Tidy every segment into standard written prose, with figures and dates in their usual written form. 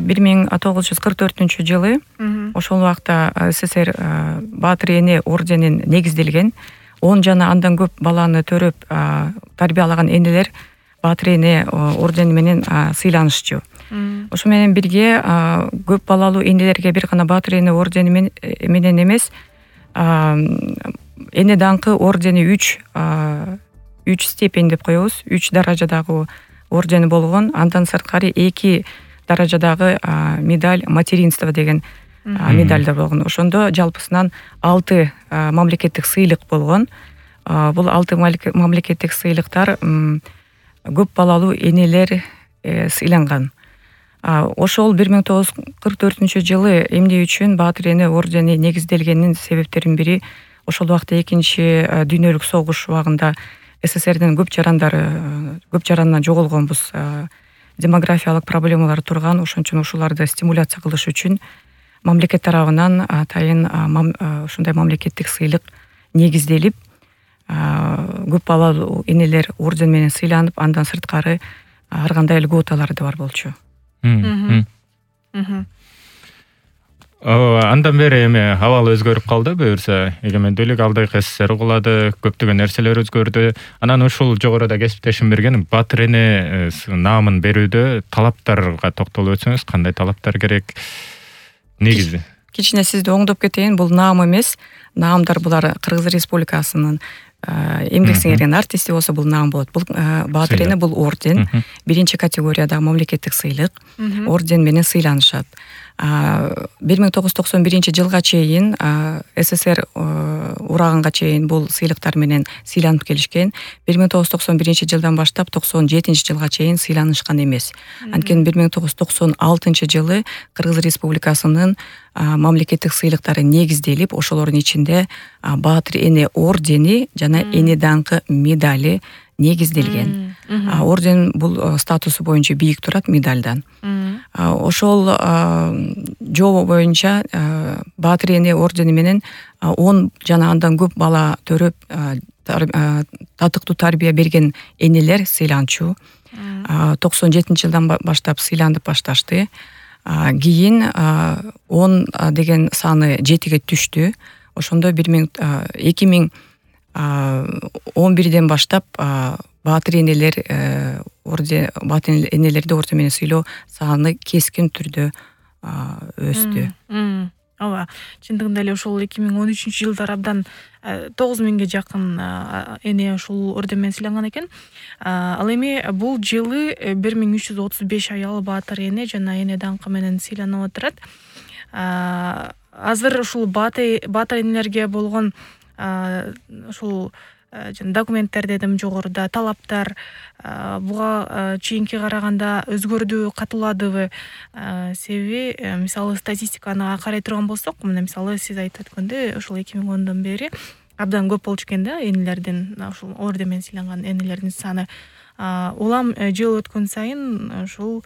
1944-жылы ошол убакта СССР Баатыр эне орденин негизделген. 10 жана андан көп баланы төрөп тарбиялаган энелер Баатыр эне ордени менен сыйланышчу. Ошо менен бирге көп балалуу энелерге бир гана Баатыр эне ордени менен эмес, эне даңкы ордени 3 степень деп коебуз. 3 даражадагы ордени болгон. Андан сырткары 2 даражадагы медаль материнства деген медальдар болгон. Ошондо жалпысынан 6 мамлекеттик сыйлык болгон. Бул 6 мамлекеттик сыйлыктар көп балалуу энелер сыйланган. Ошол 1944-жылы эмне үчүн Баатыр эне ордени негизделгенин себептеринин бири ошол убакта экинчи дүйнөлүк согуш убагында СССРдин көп жаранынан жоголгонбуз. Демографиялык проблемалар турган, ошон үчүн ушуларды стимуляция кылыш үчүн мамлекет тарабынан атайын ушундай мамлекеттик сыйлык негизделип, көп балалуу энелер орден менен сыйланып, андан сырткары ар кандай льготалар да бар болчу. Андан бери эми абал өзгөрүп калды, буюрса эгемендүүлүк алдык, СССР кулады, көптөгөн нерселер өзгөрдү. Анан ушул жогоруда кесиптешим берген Баатыр эне наамын берүүдө талаптарга токтолуп өтсөңүз, кандай талаптар керек? Негизи кичине сизди оңдоп кетейин, бул наам эмес. Наамдар булар Кыргыз Республикасынын эмгек сиңирген артисти болсо бул наам болот. Бул Баатыр эне бул орден, биринчи категориядагы мамлекеттик сыйлык, орден менен сыйланышат. 1991-жылга чейин СССР ураганга чейин бул сыйлыктар менен сыйланып келишкен. 1991-жылдан баштап 97-жылга чейин сыйланышкан эмес. Анткени 1996-жылы Кыргыз Республикасынын мамлекеттик сыйлыктары негизделип, ошолордун ичинде Баатыр эне ордени жана эне даңкы медали негизделген. Орден бул статусу боюнча бийик турат медальдан. Ошол жобо боюнча Баатыр эне ордени менен 10 жана андан көп бала төрөп татыктуу тарбия берген энелер сыйланчу. 97-жылдан баштап сыйланып башташты. Кийин 10 деген саны 7ге түштү. Ошондо 2011-ден баштап Баатыр энелерди орден менен сыйлоо саны кескин түрдө өстү. Ооба, чындыгында эле ошол 2013-жылдары абдан 9000ге жакын эне ушул орден менен сыйланган экен. Ал эми бул жылы 1335 аял Баатыр эне жана эне даңкы менен сыйланып отурат. Азыр ушул Баатыр энелерге болгон ушул документтер дедим жогоруда, талаптар буга чейинки караганда өзгөрдүбү, катууладыбы? Себеби мисалы статистиканы карай турган болсок, мына мисалы сиз айтып өткөндөй ушул 2010дон бери абдан көп болчу экен да энелердин, ушул орден менен сыйланган энелердин саны. Улам жыл өткөн сайын ушул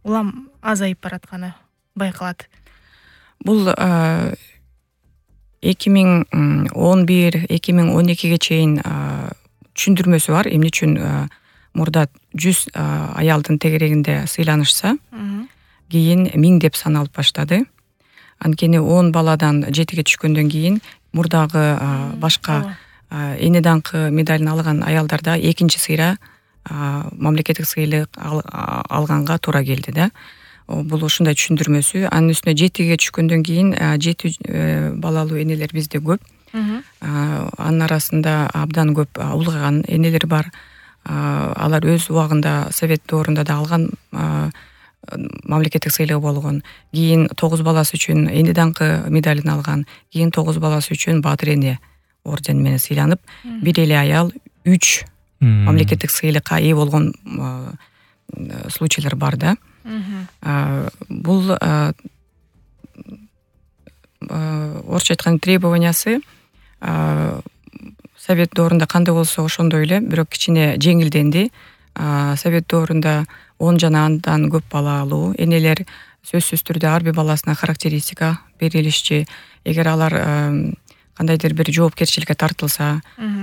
улам азайып баратканы байкалат. Бул 2011-2012ге чейин түшүндүрмөсү бар. Эмне үчүн мурда 100 аялдын тегерегинде сыйланышса, кийин 1000 деп саналып баштады. Анткени 10 баладан 7ге түшкөндөн кийин мурдагы башка эне даңкы медалин алган аялдарда экинчи сыйра мамлекеттик сыйлык алганга туура келди да. Бул ушундай түшүндүрмөсү. Анын үстүнө 7ге түшкөндөн кийин 7 балалуу энелер бизде көп. Анын арасында абдан көп улгайган энелер бар. Алар өз убагында совет доорунда да алган мамлекеттик сыйлыгы болгон. Кийин 9 баласы үчүн эне даңкы медалин алган. Кийин 9 баласы үчүн Баатыр эне ордени менен сыйланып, бир эле аял 3 мамлекеттик сыйлыкка ээ болгон случайлар бар да. Бул орусча айтканда требованиясы совет доорунда кандай болсо ошондой эле, бирок кичине жеңилденди. Совет доорунда 10 жана андан көп балалуу энелер сөзсүз түрдө ар бир баласына характеристика берилишчи. Эгер алар кандайдыр бир жоопкерчиликке тартылса,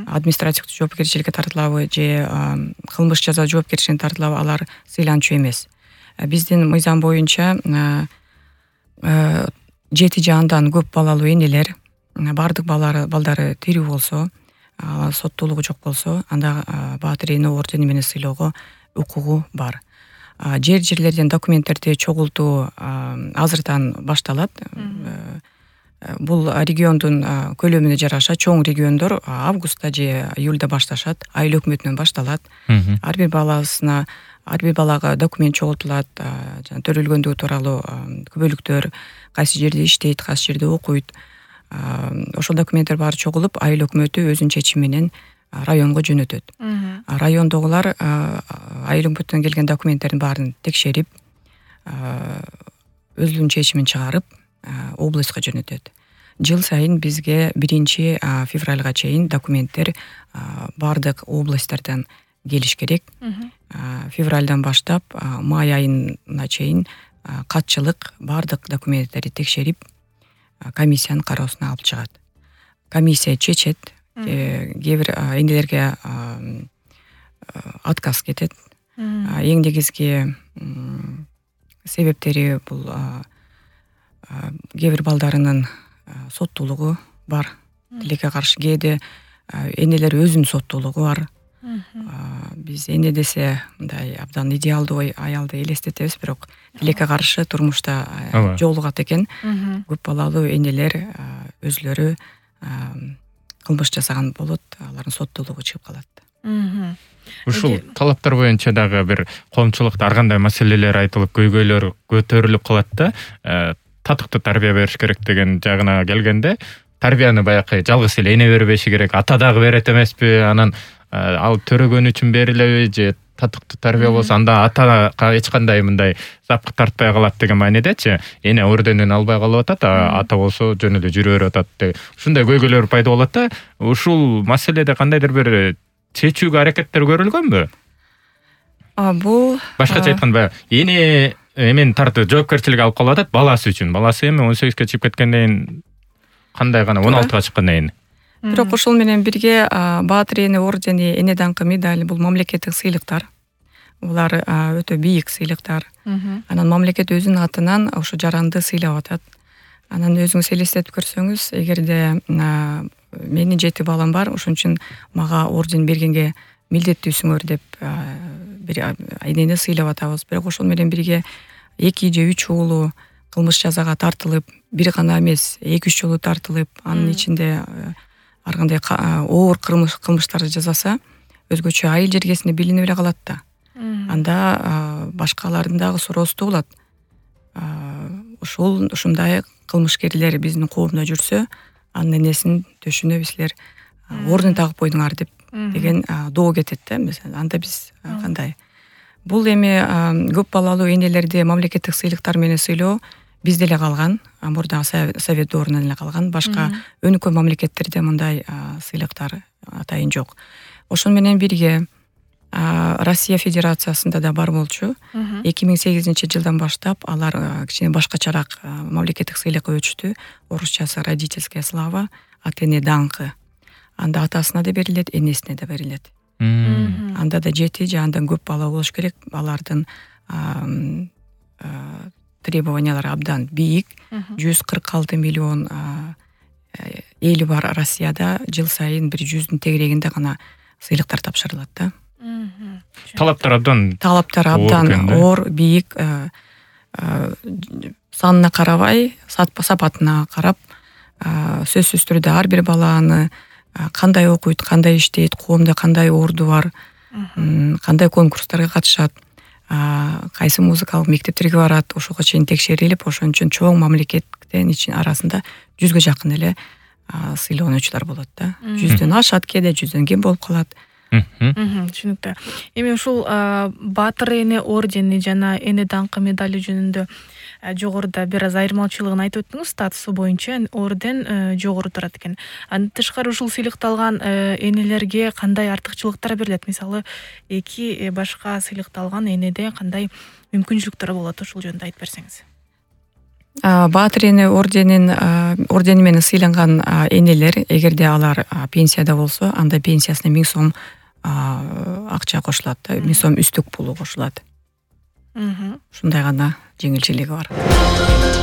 административдик жоопкерчиликке тартылабы же кылмыш жаза жоопкерчиликке тартылабы, алар сыйланчу эмес. биздин мыйзам боюнча 7 же андан көп балалуу энелер баардык балдары тирүү болсо, соттуулугу жок болсо, анда Баатыр эне ордени менен сыйлоого укугу бар. Жерлерден документтерди чогултуу азырдан башталат. Бул региондун көлөмүнө жараша чоң региондор августта же июлда башташат, айыл өкмөтүнөн башталат. Ар бир балага документ чогултулат, төрөлгөндүгү тууралуу күбөлүктөр, кайсы жерде иштейт, кайсы жерде окуйт. Ошол документтер баары чогулуп, айыл өкмөтү өзүнүн чечими менен районго жөнөтөт. Райондогулар айыл өкмөтүнөн келген документтердин баарын текшерип, өзүнүн чечимин чыгарып, областка жөнөтөт. Жыл сайын бизге 1 февралга чейин документтер баардык областтардан келиш керек. Февралдан баштап май айына чейин катчылык баардык документтерди текшерип, комиссиянын кароосуна алып чыгат. Комиссия чечет, кээ бир энелерге отказ кетет. Эң негизги себептери бул кээ бир балдарынын соттуулугу бар, тилекке каршы. Кээде энелер өзүнүн соттуулугу бар. Биз эне десе мындай абдан идеалдуу аялды элестетебиз, бирок тилекке каршы турмушта жолугат экен. Көп балалуу энелер өзүлөрү кылмыш жасаган болот, алардын соттуулугу чыгып калат. Ушул талаптар боюнча дагы бир коомчулукта ар кандай маселелер айтылып, көйгөйлөр көтөрүлүп калат да, татыктуу тарбия бериш керек деген жагына келгенде, тарбияны баягы жалгыз эле эне бербеши керек, ата дагы берет эмеспи? Анан ал төрөгөн үчүн берилеби же татыктуу тарбия болсо анда атага эч кандай мындай запкы тартпай калат деген маанидечи? Эне орденин албай калып атат, ата болсо жөн эле жүрө берип атат деген ушундай көйгөйлөр пайда болот да. Ушул маселеде кандайдыр бир чечүүгө аракеттер көрүлгөнбү? Бул башкача айтканда, эне эмен тартып жоопкерчилик алып калып атат баласы үчүн. Баласы эми 18-ге чыгып кеткенден кийин кандай гана 16-га чыккандан кийин. Бирок ошол менен бирге Баатыр эне ордени, эне даңкы медаль бул мамлекеттик сыйлыктар. Булар өтө бийик сыйлыктар. Анан мамлекет өзүнүн атынан ошо жаранды сыйлап атат. Анан өзүңүз элестетип көрсөңүз, эгерде менин 7 балам бар, ошон үчүн мага орден бергенге милдеттүүсүңөр деп бир энени сыйлап атабыз. Бирок ошол менен бирге 2 же 3 уулу кылмыш жазага тартылып, бир гана эмес, 2-3 жолу тартылып, анын ичинде ар кандай оор кылмыштарды жасаса, өзгөчө айыл жергесинде билинип эле калат да. Анда башкалардын дагы суроосу туулат. Ушундай кылмышкерлер биздин коомдо жүрсө, анын энесин төшүнө силер орден тагып койдуңар деген доо кетет да. Анда биз кандай? Бул эми көп балалуу энелерди мамлекеттик сыйлыктар менен сыйлоо бизде эле калган, мурда совет доорунан эле калган. Башка өнүккөн мамлекеттерде мындай сыйлыктар атайын жок. Ошон менен бирге Россия Федерациясында да бар болчу. 2008-жылдан баштап алар кичине башкачараак мамлекеттик сыйлыкка өчтү. Орусчасы родительская слава, от эне даңкы. Анда атасына да берилет, энесине да берилет. Анда да 7 же андан көп бала болуш керек. Алардын требованиялары абдан бийик. 146 миллион эли бар Россияда. Жыл сайын 100-дун тегерегинде гана сыйлыктар тапшырылат да. Талаптар абдан оор, бийик. Санына карабай, сапатына карап, сөзсүз түрдө ар бир баланы кандай окуйт, кандай иштейт, коомдо кандай орду бар, кандай конкурстарга катышат, кайсы музыкалык мектептерге барат, ошого чейин текшерилип, ошон үчүн чоң мамлекеттин арасында 100га жакын эле сыйлоонуучулар болот да. 100дөн ашат, кээде 100дөн кем болуп калат. Түшүнүктүү. Эми ушул Баатыр эне ордени жана эне даңкы медали жөнүндө жогоруда бир аз айырмачылыгын айтып өттүңүз. Статусу боюнча орден жогору турат экен. Андан тышкары ушул сыйлыкты алган энелерге кандай артыкчылыктар берилет? Мисалы, 2 башка сыйлыкты алган энеде кандай мүмкүнчүлүктөр болот? Ушул жөнүндө айтып берсеңиз. Баатыр эне ордени менен сыйланган энелер, эгерде алар пенсияда болсо, анда пенсиясына 1000 сом акча кошулат, 1000 сом үстүк пулу кошулат. ушундай гана жеңилчилиги бар.